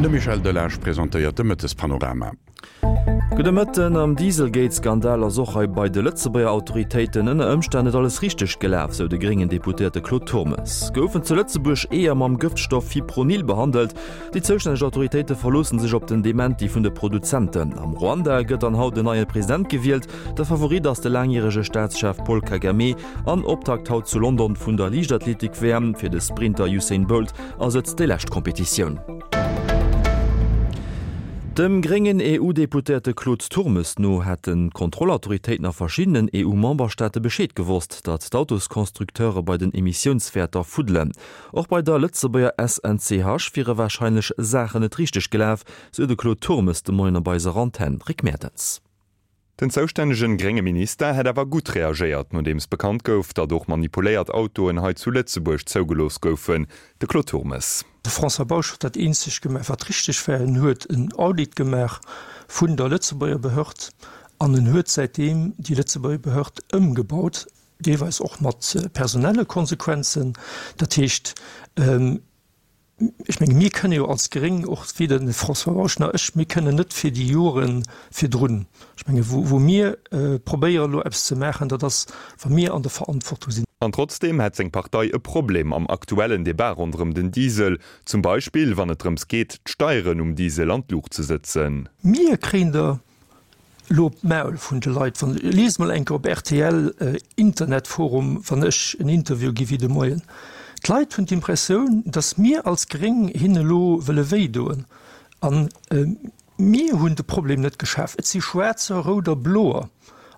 De Michel Delage presentéiert de Mëttespanorama. Gudde Mëtten. Am Dieselgate-Skandal ass och hei bei de Lëtzebuerger Autoritéiten ënner Ëmstänn net alles richteg gelaf, sou de gréngen Deputéierte Claude Turmes. Goufen zu Lëtzebuerg Eeër mam Gëftstoff Fipronil behandelt? Déi zoustänneg Autoritéite verloossen sech op den Dementi vun de Produzenten. Am Ruanda gëtt dann haut en neie President gewielt. De Favorit ass de laangjärege Staatschef Paul Kagame. An Optakt haut zu London vun der Liichtathletik-WM. Fir de Sprinter Usain Bolt ass et déi lescht Kompetitioun. Dem gréngen EU-Deputéierte Claude Turmes no hätten d'Kontrollautoritéiten a verschiddenen EU-Memberstaate Bescheed gewosst, datt d'Autosconstructeure bei den Emissiounswäerter fuddelen. Och bei der Lëtzebuerger SNCH wiere warscheinlech Saachen net richteg gelaf, sou de Claude Turmes de Moien op eiser Antenn. Rick Mertens. Den zoustännegen grénge Minister hätt awer gutt reagéiert, nodeems bekannt gouf, datt och manipuléiert Autoen hei zu Lëtzebuerg zougelooss goufen. De Claude Turmes. De François Bausch huet dat eenzegt gemaach, wat richteg war, En huet en Audit gemaach vun der Lëtzebuerger Behörd an en huet säitdeem déi Lëtzebuerger Behörd ëmgebaut, deelweis och mat personelle Konsequenzen. Dat heescht, Ech menge mir kënne jo als Gréng, och weder den François Bausch nach ech, mir kënnen net fir déi Jore virdrun, ech menge wou wou mir probéiere elo eppes ze maachen, dat ass wa mir an der Verantwortung sinn. An trotzdeem hätt seng Partei e Problem am aktuellen Debat ronderëm den Diesel, zum Beispill wann et drëms geet, d'Steieren um Diesel an d'Luucht ze sëtzen. Mir kréien der Elo op d'Maul vun de Leit. Wann, liest mol eng Kéier op rtl Internetforum, wann ech en Interview gi wéi de Moien. D'Leit hunn d'Impressioun, datt mir als Gréng hinne elo wëlle wéi doen. A mir hunn de Problem net geschaf. Et si Schwaarzer, Rouder, Bloer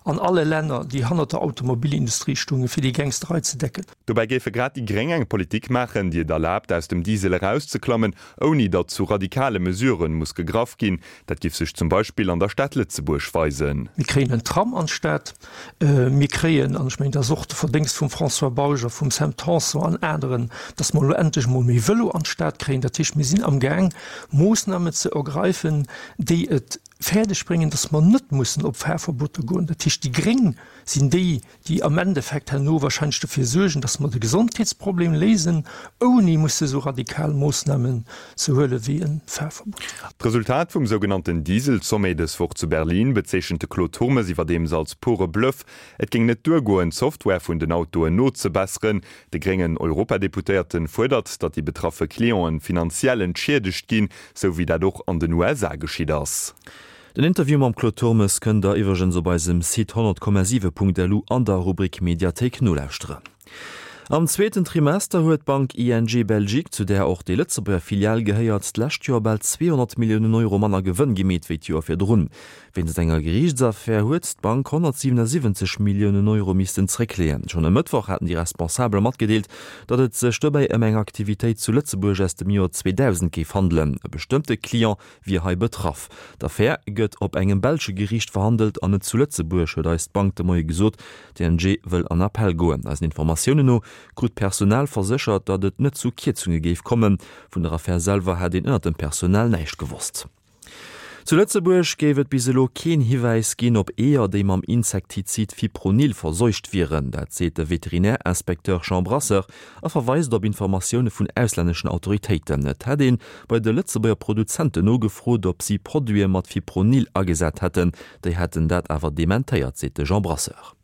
an alle Länner, déi hannert der Automobilindustrie stoungen, fir déi Gangsterei ze decken. Dobäi géife grad déi Gréng eng Politik maachen, déi et erlaabt, aus dem Diesel erauszeklammen, ouni datt zu radikale Mesuren muss gegraff ginn. Dat giff sech zum Beispill an der Stad Lëtzebuerg weisen. Mir kréien en Tram an d'Stad. Mir kréien, an ech mengen, dat ass och de Verdéngst vum François Bausch a vum Sam Tanson an aneren, datt mer elo endlech emol méi Vëlo an d'Stad kréien. Dat heescht, mir sinn amgaang, Moossnamen ze ergreifen, déi et fäerdeg bréngen, datt mer net mussen op Fahrverboter goen. Dat heescht, déi Gréng sinn déi, déi am Endeffekt herno wahrscheinlech dofir suergen, dass mer de Gesondheetsproblem léisen, ouni musse esou radikal Moossnamen ze huele wéi e Fahrverbot. D'Resultat vum sougenannten Diesel-Sommet dës Woch zu Berlin bezeechent de Claude Turmes iwwerdeems als pure Bluff. Et géing net duergoen, d'Software vun den Autoen nozebesseren. De gréngen Europadeputéierte fuerdert, datt déi betraffe Clienten finanziell entschiedegt ginn, sou wéi dat och an den USA geschitt ass. Den Interview mam Claude Turmes kënnt der iwwregens op eisem Site 100,7.lu an der Rubrik Mediathéik nolauschteren. Am zweeten Trimester huet d'Bank ING Belgique, zu där och déi Lëtzebuerger Filial gehéiert, d'lescht Joer bal 200 Milliounen Euro manner Gewënn gemeet wéi d'Joer virdrun. Wéinst enger Geriichtsaffär huet d'Bank 177 Milliounen Euro missten zréckleeën. Schonn e Mëttwoch haten déi Responsabel matgedeelt, datt et sech dobäi ëm eng Aktivitéit zu Lëtzebuerg aus dem Joer 2000 géif handelen. E bestëmmte Client wier hei betraff. D'Affär gëtt op engem belsche Geriicht verhandelt an net zu Lëtzebuerg, huet eis d'Bank de Moie gesot. D'ING wëll an Appell goen. Eisen Informatiounen no krut d'Personal verséchert, datt et net zu Kierzunge géif kommen. Vun der Affär selwer hätt een ënnert dem Personal näischt gewosst. Zu Lëtzebuerg géif et bis elo keen Hiwäis ginn op Eeër, déi mam Insektizid Fipronil verseucht wieren. Dat seet de Veterinärinspekteur Jean Brasseur a verweist op Informatioune vun auslänneschen Autoritéiten. Et hätt ee bei de Lëtzebuerger Produzenten nogefrot, ob si Produite mat Fipronil agesat hätten. Déi hätten dat awer dementéiert, seet de Jean Brasseur.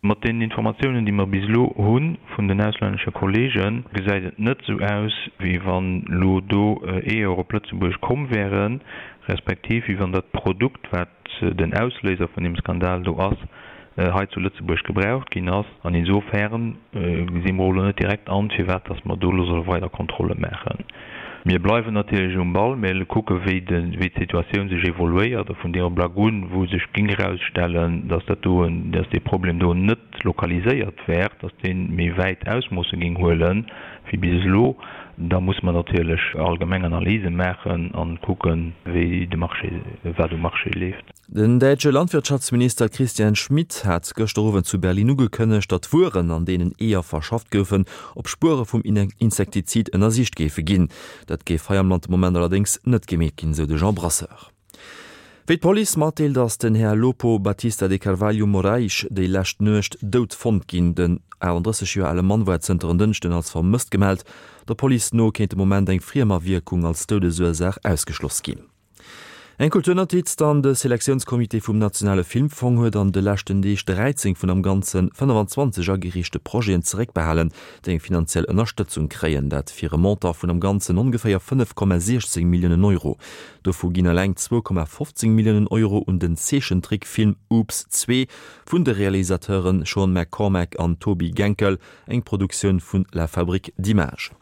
Mat deenen Informatiounen, déi mer bis elo hu vun den auslännesche Kolleegen, gesäit et net esou aus, wéi wann elo do Eeër op Lëtzebuerg komm wären, respektiv wéi wann dat Produkt, wat den Ausléiser vun deem Skandal do ass, hei zu Lëtzebuerg gebraucht ginn ass. An insofern gesi mer och elo net direkt an, firwat dass mer do elo solle weider Kontrolle maachen. Mir bleiwen natierlech um Ball, mir kucke wéi d'Situatioun sech evoluéiert a vun deem Ablack un, wou sech géing erausstellen, dass dat do, dass dee Problem do net lokaliséiert wär, dass dee méi wäit Ausmoosse géing huele wéi bis elo, da musse mer natierlech allgemeng Analyse maachen a kucken, wéi de Marché, wat um Marché leeft. Den däitsche Landwirtschaftsminister Christian Schmit hat gëschter Owend zu Berlin ugekënnegt, datt d'Wueren, an deenen Eeër verschafft goufen, op Spuere vum Insektizid ënnersicht géife ginn. Dat géif hei am Land de Moment allerdéngs net gemeet ginn, sou de Jean Brasseur. Wéi d'Police matdeelt, ass den Här Lopo Batista de Carvalho Moraes déi lescht Nuecht dout fonnt ginn. Den 38 Joer ale Mann war zënter en Dënschden als vermësst gemellt. Der Police no kéint de Moment eng Friemawierkung als Doudesursaach ausgeschloss ginn. Eng Kulturnotiz dann, De Selektiounscomité vum Nationale Filmfong huet an de leschten Deeg 13 vun am Ganze 25 agereechte Projeten zeréckbehalen, déi eng finanziell Ënnerstëtzung kréien. Dat fir e Montant vun am Ganzen ongeféier 5,16 Milliounen Euro. Dovu ginn eleng 2,15 Milliounen Euro un den Zeechentrickfilm Oops 2 vun de Realisateure Sean McCormack an Toby Genkel, eng Produktioun vun La Fabrique d'Images.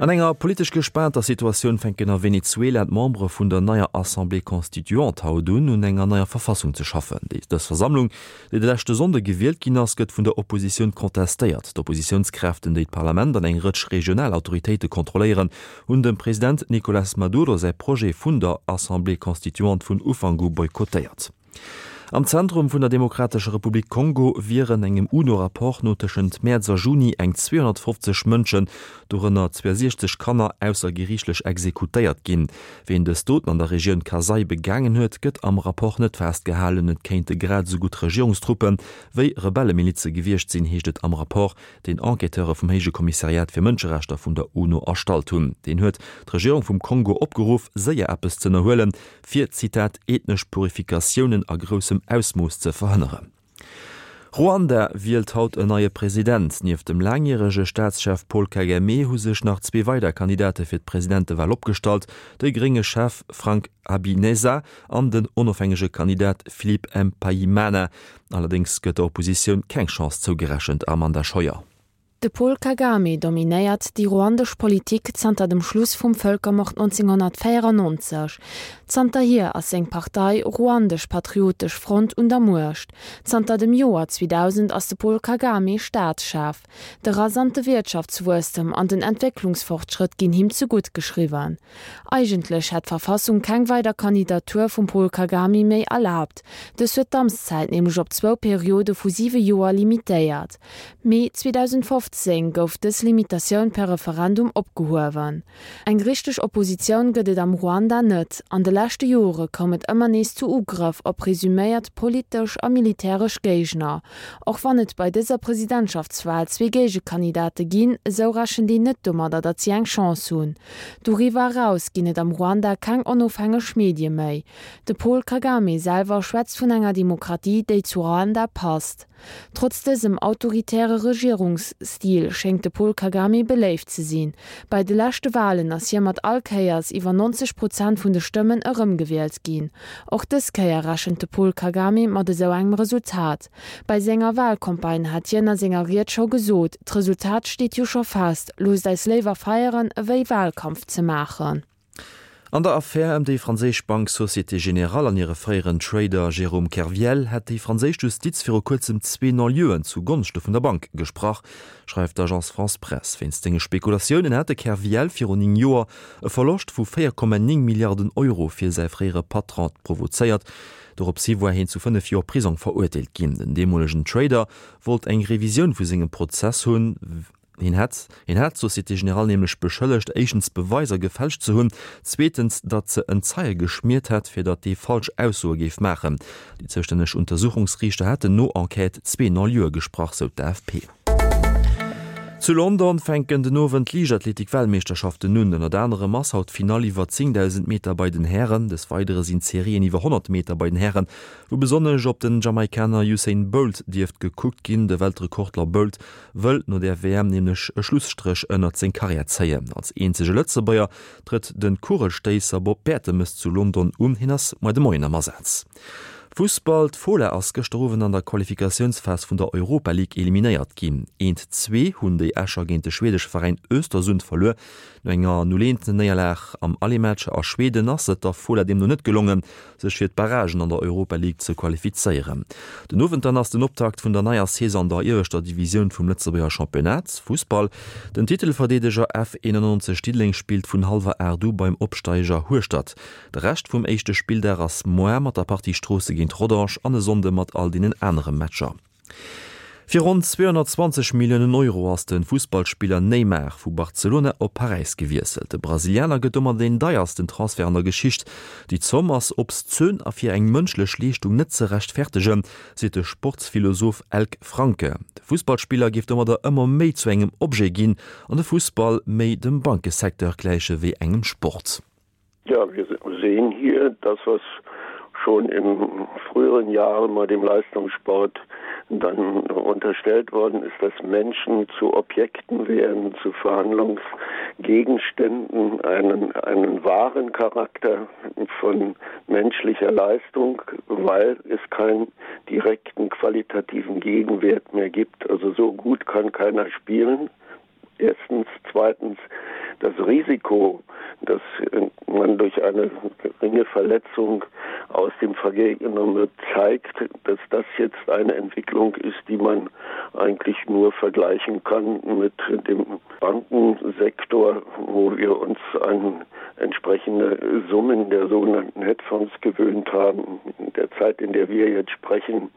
An enger politesch gespaanter Situatioun fänken a Venezuela d'Membere vun der neier Assemblée constituante haut un, un enger neier Verfassung ze schaffen. Dës Versammlung, déi de leschte Sonnde gewielt ginn ass, gëtt vun der Oppositioun contestéiert. D'Oppositiounskräften, déi d'Parlament an eng Rëtsch regional Autoritéite kontrolléieren, hunn dem President Nicolas Maduro säi Projet vun der Assemblée constituante vun Ufank u boykottéiert. Am Zentrum vun der Demokratescher Republik Kongo wieren engem UNO-Rapport no tëschent Mäerz a Juni eng 250 Mënschen, dorënner 62 Kanner, aussergeriichtlech exekutéiert ginn. Ween dës Doten an der Regioun Kasai begaangen huet, gëtt am Rapport net festgehalen. Et kéinte grad esou gutt Regierungstruppe wéi Rebellemilize gewiescht sinn, heescht et am Rapport, deen Enquêteure vum Héije Kommissariat fir Mënscherechter vun der UNO erstallt hunn. Deen huet d'Regierung vum Kongo opgeruff, séier eppes z'ënnerhuelen, fir, Zitat, ethnesch Purifikatiounen a groussem Ausmooss ze verhënneren. Ruanda wielt haut en neie President. Nieft dem laangjärege Staatschef Paul Kagame hu sech nach zwee weider Kandidate fir d'Presidentewal opgestallt, de grénge Chef Frank Habineza an den onofhängege Kandidat Philippe Mpayimana. Allerdéngs gëtt der Oppositioun keng Chance zougerechent, Amanda Scheuer. De Paul Kagame dominéiert déi ruandesch Politik zanter dem Schluss vum Vëlkermord 1994. Zanterhier ass seng Partei Ruandesch Patriotesch Front un der Muecht. Zanter dem Joer 2000 ass de Paul Kagame Staatschef. De rasante Wiertschaftswuesstem an den Entwécklungsfortschrëtt ginn him zegutt geschriwwen. Eigentlech hätt d'Verfassung keng weider Kandidatur vum Paul Kagame méi erlaabt. Dës huet d'Amtszäit nämlech op zwou Periode vu siwe Joer limitéiert. Mee 2015 gouf dës Limitatioun per Referendum opgehuewen. Eng richteg Oppositioun gëtt et am Ruanda net. An de leschte Jore koum et ëmmer nees zu Ugrëff op presuméiert politesch a militäresch Géigner. Och wann et bei dëser Presidentschaftswal zwee Géigekandidate ginn, esou rechent een net domadder, datt si eng Chance hunn. Doriwwer eraus ginn et am Ruanda keng onofhängeg Medie méi. De Paul Kagame selwer schwätzt vun enger Demokratie, déi zu Ruanda passt. Trotz dësem autoritäre Regierungsstil schéngt de Paul Kagame beléift ze sinn. Bei de leschte Walen ass hie mat all Kéiers iwwer 90 Prozent vun de Stëmmen erëmgewielt ginn. Och dës Kéier rechent de Paul Kagame mat esou engem Resultat. Bei senger Walcampagne hat hien a senger Ried scho gesot, D'Resultat steet jo scho fest, loosst eis léiwer feieren ewéi Walkampf ze maachen. An der Affär ëm déi franséisch Bank Société Générale an hire fréieren Trader Jérôme Kerviel hätt déi franséisch Justiz viru kuerzem zwee Non-lieuen zu Gonschte vun der Bank gesprach, schreift d'Agence France-Presse. Wéinst senge Spekulatiounen hat de Kerviel virun 9 Joer e Verloscht vu 4,9 Milliarden Euro fir säi fréiere Patron provozéiert. Doropshi war hien zu 5 Joer Prisong verurteelt ginn. Den deemolegen Trader wollt eng Revisioun vu sengem Prozess hunn. Hien hätt hien hat d'Société Générale nämlech beschëllegt, éischtens Beweiser gefälscht ze hunn, zweetens, datt se en Zeie geschmiert hätt, fir datt dee falsch Aussoe géif maachen. Déi zoustänneg Untersuchungsriichter hätten no Enquête zwee Non-lieue gesprach, sou d'AFP. Zu London fänken den Owend d'Liichtathletik-Weltmeeschterschaften un. Ënnert anerem ass haut d'Finall iwwer 10.000 Meter bei den Hären. Des Weidere sinn d'Serien iwwer 100 Meter bei den Hären, wou besonnesch op den Jamaikaner Usain Bolt dierft gekuckt ginn. De Weltrekordler Bolt wëll no der WM nämlech e Schlusstréch ënnert seng Karriär zéien. Als eenzege Lëtzebuerger trëtt de Kugelstéisser Bob Bertemes zu London un. Hien ass muer de Moien am Asaz. Fussball, D'Fola ass gëschter Owend an der Qualifikatiounsphas vun der Europa League eliminéiert ginn. Eent, zwee hunn déi Escher géint de schwedesche Veräin Östersund verluer. No enger 0, 1 Néierlag am Aller-Match a Schweden ass et der Fola deemno net gelongen, sech fir d'Barragen an der Europa League ze qualifizéieren. Den Owend dann ass den Optakt vun der neier Saison an der ieweschter Divisioun vum Lëtzebuerger Championnat, Fussball. Den Titelverdeedeger F91 Diddeleng spillt vun hallwer 8 u beim Opsteiger Hueschtert. De Rescht vum éischte Spilldag ass moar mat der Partie Stroosse géint Rodange an e Sonnde mat all deenen anere Matcher. Fir ronn 220 Milliounen Euro ass de Fussballspiller Neymar vu Barcelona op Paräis gewiesselt. De Brasilianer gëtt domat deen deiersten Transfert an der Geschicht. Déi Zomm ass obszön a fir eng mënschlech Leeschtung net ze rechtfertegen, seet de Sportsphilosoph Elk Franke. De Fussballspiller géif domadder ëmmer méi zu engem Objet ginn an de Fussball méi dem Bankesecteur gläiche wéi engem Sport. Ja, wir sehen hier das, was schon in früheren Jahren mal dem Leistungssport dann unterstellt worden ist, dass Menschen zu Objekten werden, zu Verhandlungsgegenständen, einen, einen wahren Charakter von menschlicher Leistung, weil es keinen direkten qualitativen Gegenwert mehr gibt. Also so gut kann keiner spielen erstens zweitens das Risiko, dass man durch eine geringe Verletzung aus dem Vergehen genommen wird, zeigt, dass das jetzt eine Entwicklung ist, die man eigentlich nur vergleichen kann mit dem Bankensektor, wo wir uns an entsprechende Summen der sogenannten Hedgefonds gewöhnt haben. In der Zeit, in der wir jetzt sprechen,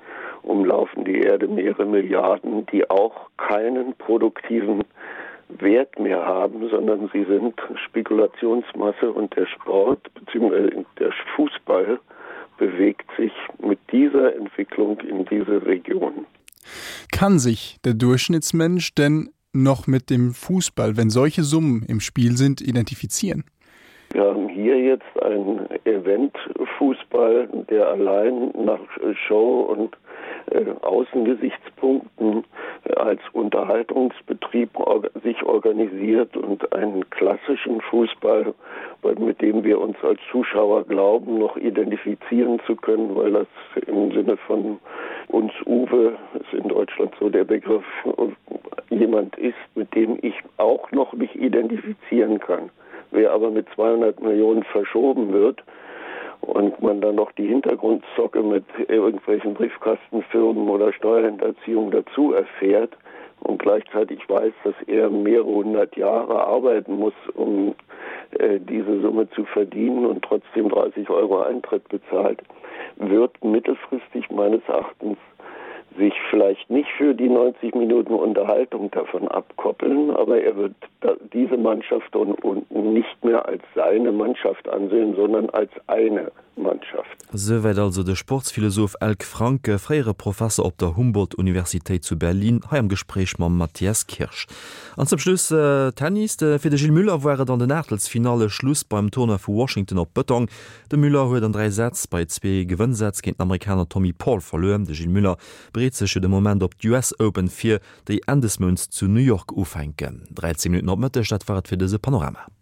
umlaufen die Erde mehrere Milliarden, die auch keinen produktiven Wert mehr haben, sondern sie sind Spekulationsmasse und der Sport bzw. der Fußball bewegt sich mit dieser Entwicklung in diese Region. Kann sich der Durchschnittsmensch denn noch mit dem Fußball, wenn solche Summen im Spiel sind, identifizieren? Wir haben hier jetzt einen Eventfußball, der allein nach Show und äh, Außengesichtspunkten äh, als Unterhaltungsbetrieb or sich organisiert und einen klassischen Fußball, mit dem wir uns als Zuschauer glauben, noch identifizieren zu können, weil das im Sinne von uns Uwe ist in Deutschland so der Begriff jemand ist, mit dem ich auch noch mich identifizieren kann. Wer aber mit 200 Millionen verschoben wird und man dann noch die Hintergrundzocke mit irgendwelchen Briefkastenfirmen oder Steuerhinterziehung dazu erfährt und gleichzeitig weiß, dass er mehrere hundert Jahre arbeiten muss, um äh, diese Summe zu verdienen und trotzdem 30 Euro Eintritt bezahlt, wird mittelfristig meines Erachtens sich vielleicht nicht für die 90 Minuten Unterhaltung davon abkoppeln, aber er wird diese Mannschaft und, und nicht mehr als seine Mannschaft ansehen, sondern als eine Mannschaft. Souwäit also de Sportsphilosoph Elk Franke, fréiere Professer op der Humboldt-Universitéit zu Berlin, hei am Gespréich mam Matthias Kirsch. An zum Schluss Tennis, Fir de Gilles Müller war et an den Aachtelsfinalle Schluss beim Tournoi vu Washington op Bëtong. De Müller huet an 3 Sätz bei zwee Gewënnsätz géint den Amerikaner Tommy Paul verluer. De Gilles Müller bereet sech jo de Moment op d'US Open vir, déi Enn des Mounts zu New York ufänken. 13 Minutten op Mëtteg, dat war et fir dëse Panorama.